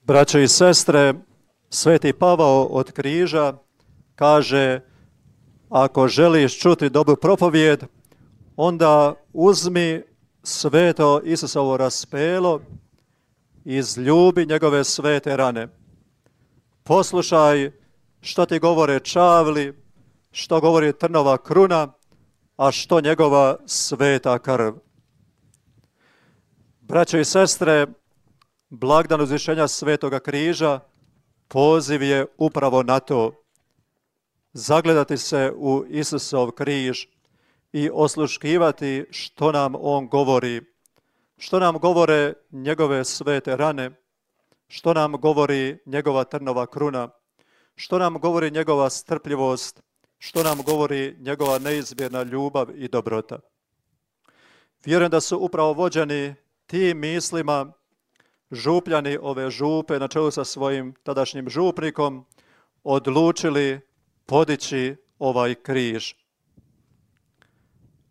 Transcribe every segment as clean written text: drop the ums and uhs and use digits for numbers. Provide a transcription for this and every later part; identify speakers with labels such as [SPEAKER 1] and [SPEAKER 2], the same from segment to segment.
[SPEAKER 1] Braćo i sestre, Sveti Pavao od križa kaže: ako želiš čuti dobru propovijed, onda uzmi sveto Isusovo raspelo i izljubi njegove svete rane. Poslušaj što ti govore čavli, što govori trnova kruna, a što njegova sveta krv. Braćo i sestre, blagdan uzvišenja Svetoga križa poziv je upravo na to. Zagledati se u Isusov križ i osluškivati što nam on govori, što nam govore njegove svete rane, što nam govori njegova trnova kruna, što nam govori njegova strpljivost, što nam govori njegova neizmjerna ljubav i dobrota. Vjerujem da su upravo vođeni tim mislima župljani ove župe na čelu sa svojim tadašnjim župnikom odlučili podići ovaj križ.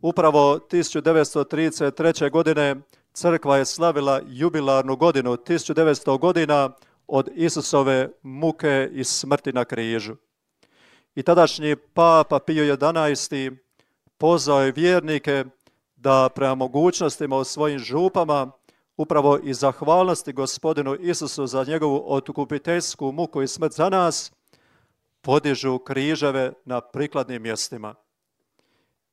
[SPEAKER 1] Upravo 1933. godine crkva je slavila jubilarnu godinu, 1900 godina od Isusove muke i smrti na križu. I tadašnji papa Pio XI pozvao je vjernike da prema mogućnostima u svojim župama upravo iz zahvalnosti Gospodinu Isusu za njegovu otkupiteljsku muku i smrt za nas, podižu križeve na prikladnim mjestima.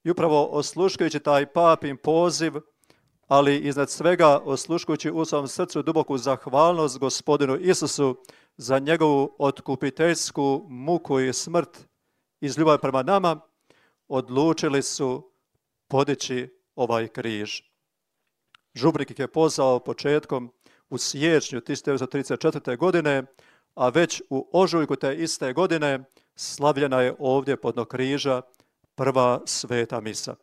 [SPEAKER 1] I upravo osluškujući taj papin poziv, ali iznad svega osluškujući u svom srcu duboku zahvalnost Gospodinu Isusu za njegovu otkupiteljsku muku i smrt iz ljubavi prema nama, odlučili su podići ovaj križ. Župnik ih je pozvao početkom u siječnju 1934. godine, a već u ožujku te iste godine slavljena je ovdje pod dno križa prva sveta misa.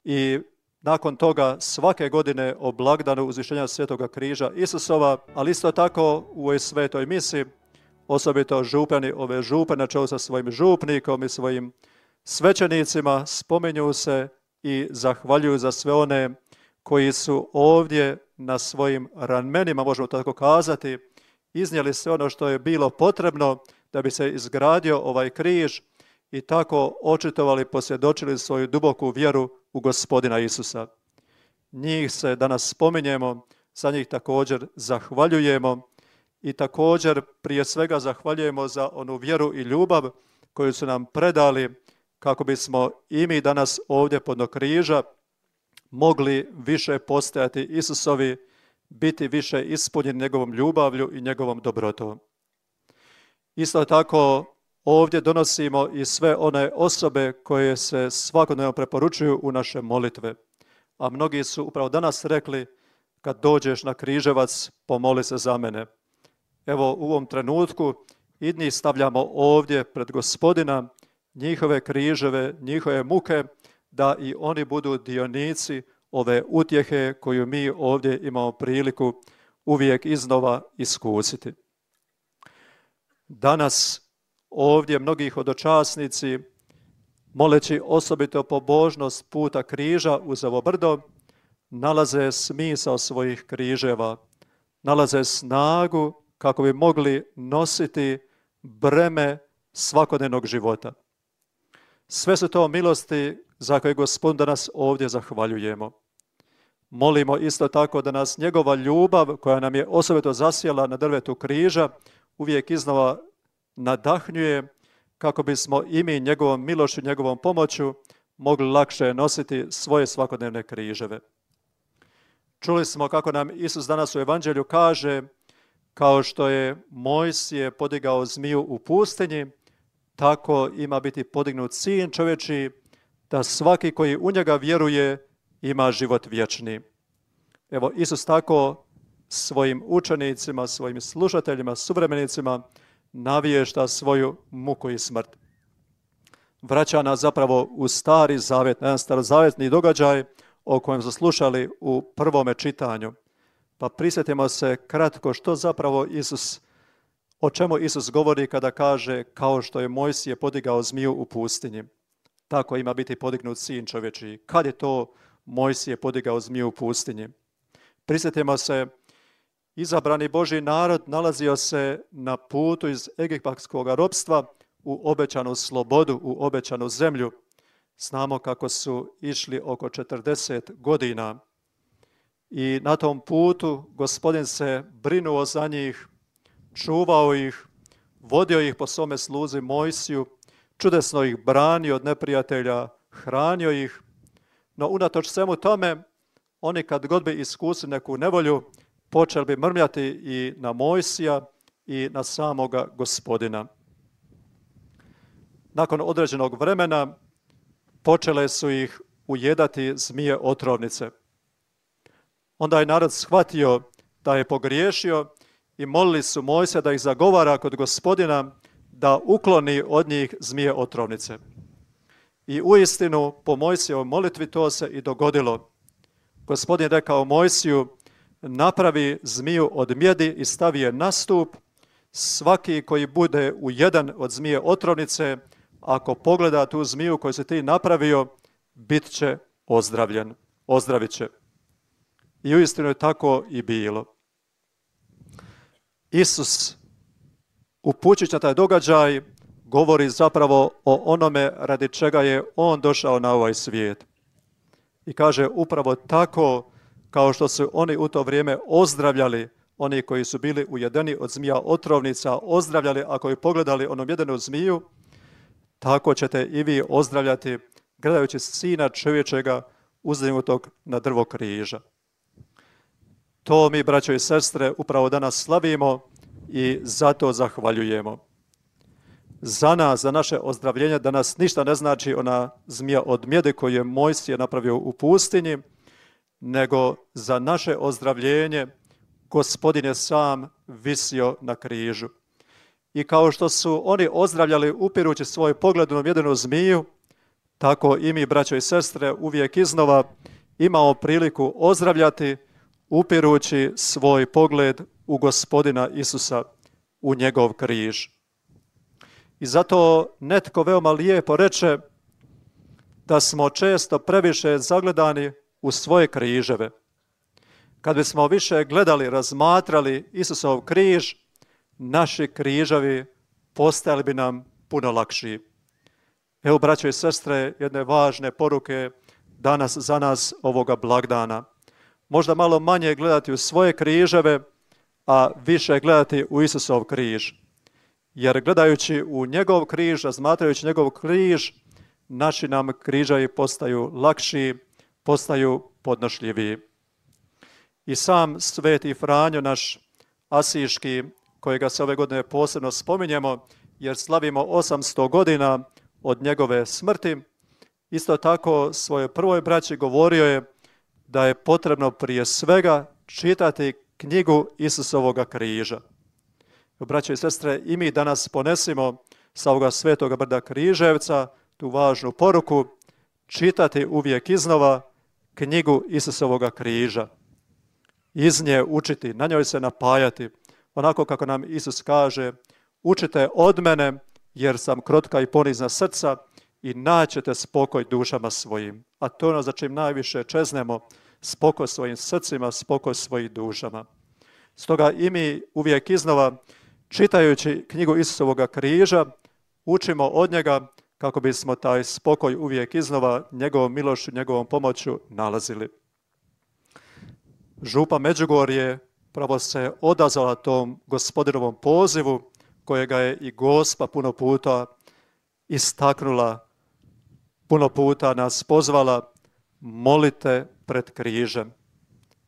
[SPEAKER 1] I nakon toga svake godine o blagdanu uzvišenja Svetoga križa Isusova, ali isto tako u ovoj svetoj misi, osobito župani ove župe na čelu sa svojim župnikom i svojim svećenicima, spominju se i zahvaljuju za sve one koji su ovdje na svojim ramenima, možemo tako kazati, iznijeli sve ono što je bilo potrebno da bi se izgradio ovaj križ i tako očitovali, posvjedočili svoju duboku vjeru u Gospodina Isusa. Njih se danas spominjemo, za njih također zahvaljujemo i također prije svega zahvaljujemo za onu vjeru i ljubav koju su nam predali kako bismo i mi danas ovdje pod dno križa mogli više postajati Isusovi, biti više ispunjeni njegovom ljubavlju i njegovom dobrotom. Isto tako ovdje donosimo i sve one osobe koje se svakodnevno preporučuju u naše molitve. A mnogi su upravo danas rekli: kad dođeš na križevac, pomoli se za mene. Evo u ovom trenutku i njih stavljamo ovdje pred Gospodina, njihove križeve, njihove muke, da i oni budu dionici ove utjehe koju mi ovdje imamo priliku uvijek iznova iskusiti. Danas ovdje mnogi hodočasnici, moleći osobito pobožnost puta križa uz ovo brdo, nalaze smisao svojih križeva, nalaze snagu kako bi mogli nositi breme svakodnevnog života. Sve su to milosti za koje Gospodin danas ovdje zahvaljujemo. Molimo isto tako da nas njegova ljubav, koja nam je osobito zasjela na drvetu križa, uvijek iznova nadahnjuje kako bismo i mi njegovom milošću, njegovom pomoću mogli lakše nositi svoje svakodnevne križeve. Čuli smo kako nam Isus danas u Evanđelju kaže: kao što je Mojsije podigao zmiju u pustinji, tako ima biti podignut sin čovječji, da svaki koji u njega vjeruje ima život vječni. Evo, Isus tako svojim učenicima, svojim slušateljima, suvremenicima navješta svoju muku i smrt. Vraća nas zapravo u Stari Zavjet, jedan starozavjetni događaj o kojem smo slušali u prvome čitanju. Pa prisjetimo se kratko što zapravo o čemu Isus govori kada kaže: kao što je Mojsije podigao zmiju u pustinji, tako ima biti podignut sin čovječji. Kad je to Mojsije podigao zmiju u pustinji? Prisjetimo se izabrani Božji narod nalazio se na putu iz egipatskog ropstva u obećanu slobodu, u obećanu zemlju. Znamo kako su išli oko 40 godina. I na tom putu Gospodin se brinuo za njih, čuvao ih, vodio ih po svome sluzi Mojsiju, čudesno ih branio od neprijatelja, hranio ih. No unatoč svemu tome, oni kad god bi iskusili neku nevolju, počeli bi mrmljati i na Mojsija i na samoga Gospodina. Nakon određenog vremena počele su ih ujedati zmije otrovnice. Onda je narod shvatio da je pogriješio i molili su Mojsija da ih zagovara kod Gospodina da ukloni od njih zmije otrovnice. I uistinu po Mojsijevoj molitvi to se i dogodilo. Gospodin rekao Mojsiju, napravi zmiju od mjedi i stavi je na stup. Svaki koji bude ujeden od zmije otrovnice, ako pogleda tu zmiju koju si ti napravio, bit će ozdravljen, ozdravit će. I uistinu je tako i bilo. Isus, upućujući na taj događaj, govori zapravo o onome radi čega je on došao na ovaj svijet. I kaže upravo tako kao što su oni u to vrijeme ozdravljali, oni koji su bili ujedeni od zmija otrovnica, ozdravljali ako je pogledali onom jedenu zmiju, tako ćete i vi ozdravljati gledajući Sina čovječega uzdignutog na drvo križa. To mi, braćo i sestre, upravo danas slavimo i zato zahvaljujemo. Za nas, za naše ozdravljenje, danas ništa ne znači ona zmija od mjede koju je Mojsije napravio u pustinji, nego za naše ozdravljenje Gospodin je sam visio na križu. I kao što su oni ozdravljali upirući svoj pogled u jednu zmiju, tako i mi, braćo i sestre, uvijek iznova imamo priliku ozdravljati upirući svoj pogled u Gospodina Isusa, u njegov križ. I zato netko veoma lijepo reče da smo često previše zagledani u svoje križeve. Kad bismo više gledali, razmatrali Isusov križ, naši križevi postajali bi nam puno lakši. Evo, braćo i sestre, jedne važne poruke danas za nas ovoga blagdana. Možda malo manje gledati u svoje križeve, a više gledati u Isusov križ. Jer gledajući u njegov križ, razmatrajući njegov križ, naši nam križevi postaju lakši, postaju podnošljiviji. I sam sveti Franjo, naš asiški, kojega se ove godine posebno spominjemo, jer slavimo 800 godina od njegove smrti, isto tako svojoj prvoj braći govorio je da je potrebno prije svega čitati knjigu Isusovoga križa. Braće i sestre, i mi danas ponesimo sa ovoga svetoga brda Križevca tu važnu poruku, čitati uvijek iznova knjigu Isusovoga križa. Iz nje učiti, na njoj se napajati, onako kako nam Isus kaže, učite od mene jer sam krotka i ponizna srca i naćete spokoj dušama svojim. A to je ono za čim najviše čeznemo, spokoj svojim srcima, spokoj svojim dušama. Stoga i mi uvijek iznova, čitajući knjigu Isusovoga križa, učimo od njega kako bismo taj spokoj uvijek iznova njegovom milošću, njegovom pomoću nalazili. Župa Međugorje pravo se odazvala tom Gospodinovom pozivu kojega je i Gospa puno puta istaknula, puno puta nas pozvala, molite pred križem.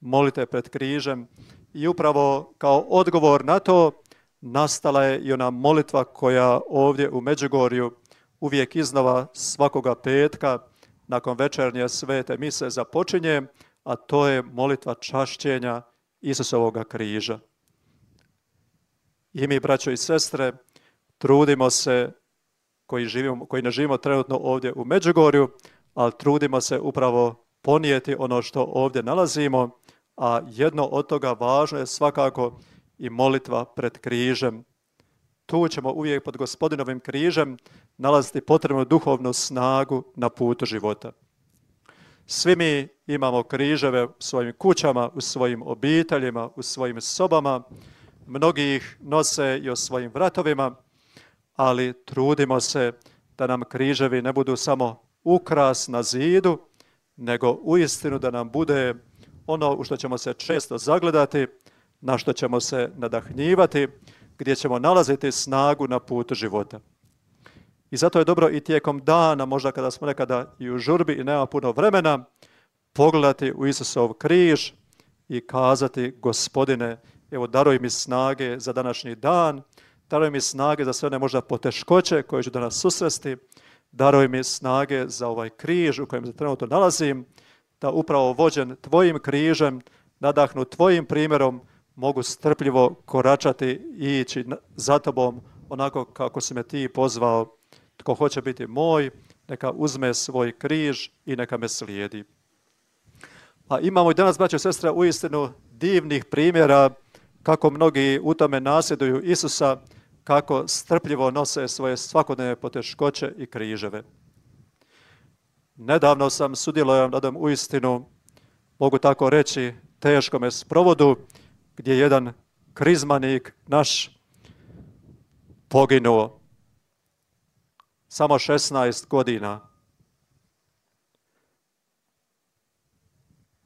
[SPEAKER 1] Molite pred križem i upravo kao odgovor na to nastala je i ona molitva koja ovdje u Međugorju uvijek iznova svakoga petka nakon večernje svete mise započinje, a to je molitva čašćenja Isusovoga križa. I mi, braćo i sestre, trudimo se, koji ne živimo trenutno ovdje u Međugorju, ali trudimo se upravo ponijeti ono što ovdje nalazimo, a jedno od toga važno je svakako i molitva pred križem. Tu ćemo uvijek pod Gospodinovim križem nalaziti potrebnu duhovnu snagu na putu života. Svi mi imamo križeve u svojim kućama, u svojim obiteljima, u svojim sobama. Mnogi ih nose i o svojim vratovima, ali trudimo se da nam križevi ne budu samo ukras na zidu, nego uistinu da nam bude ono u što ćemo se često zagledati, na što ćemo se nadahnjivati, gdje ćemo nalaziti snagu na putu života. I zato je dobro i tijekom dana, možda kada smo nekada i u žurbi i nema puno vremena, pogledati u Isusov križ i kazati: Gospodine, evo daruj mi snage za današnji dan, daruj mi snage za sve one možda poteškoće koje ću danas susresti, daruj mi snage za ovaj križ u kojem se trenutno nalazim, da upravo vođen tvojim križem, nadahnut tvojim primjerom, mogu strpljivo koračati i ići za tobom onako kako si me ti pozvao. Tko hoće biti moj, neka uzme svoj križ i neka me slijedi. A imamo i danas, braćo i sestre, uistinu divnih primjera kako mnogi u tome nasljeduju Isusa, kako strpljivo nose svoje svakodnevne poteškoće i križeve. Nedavno sam sudjelovao na jednom uistinu, mogu tako reći, teškome sprovodu, gdje je jedan krizmanik naš poginuo. Samo 16 godina.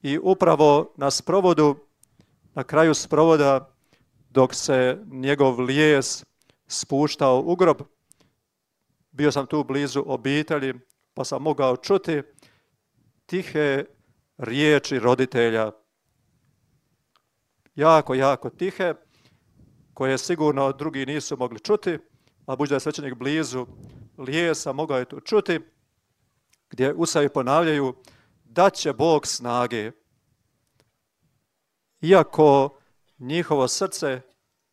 [SPEAKER 1] I upravo na sprovodu, na kraju sprovoda, dok se njegov lijes spuštao u grob, bio sam tu blizu obitelji, pa sam mogao čuti tihe riječi roditelja. Jako, jako tihe, koje sigurno drugi nisu mogli čuti, a budući da je svećenik blizu lijesa, mogao je to čuti, gdje usavi ponavljaju: da će Bog snage. Iako njihovo srce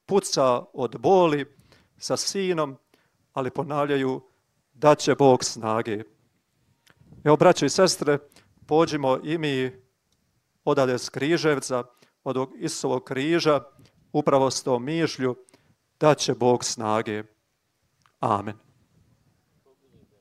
[SPEAKER 1] puca od boli sa sinom, ali ponavljaju: da će Bog snage. Evo, braćo i sestre, pođimo i mi odavde s Križevca, od ovog Isusovog križa, upravo s tom mišlju: da će Bog snage. Amen.